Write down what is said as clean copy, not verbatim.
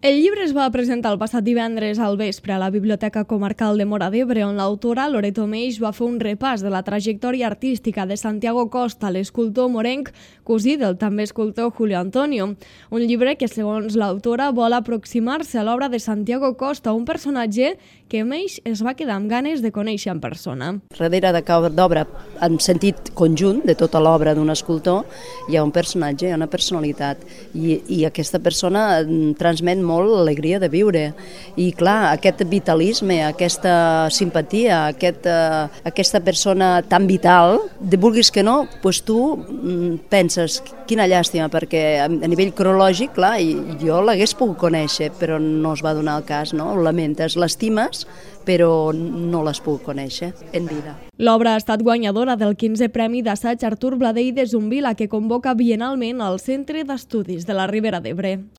El llibre es va presentar el passat divendres al vespre a la Biblioteca Comarcal de Móra d'Ebre, on l'autora Loreto Meix va fer un repàs de la trajectòria artística de Santiago Costa, l'escultor morenc, cosí del també escultor Julio Antonio. Un llibre que, segons l'autora, vol aproximar-se a l'obra de Santiago Costa, un personatge que Meix es va quedar amb ganes de conèixer en persona. Darrere de cada obra, en sentit conjunt de tota l'obra d'un escultor, hi ha un personatge, hi ha una personalitat, i aquesta persona transmet molt l'alegria de viure. I clar, aquest vitalisme, aquesta simpatia, aquesta persona tan vital, vulguis que no, doncs tu penses, quina llàstima, perquè a nivell cronològic, clar, jo l'hagués pogut conèixer, però no es va donar el cas, no? Ho lamentes, l'estimes, però no l'has pogut conèixer en vida. L'obra ha estat guanyadora del 15è Premi d'Assaig Artur Bladell de Zumbila, que convoca biennalment al Centre d'Estudis de la Ribera d'Ebre.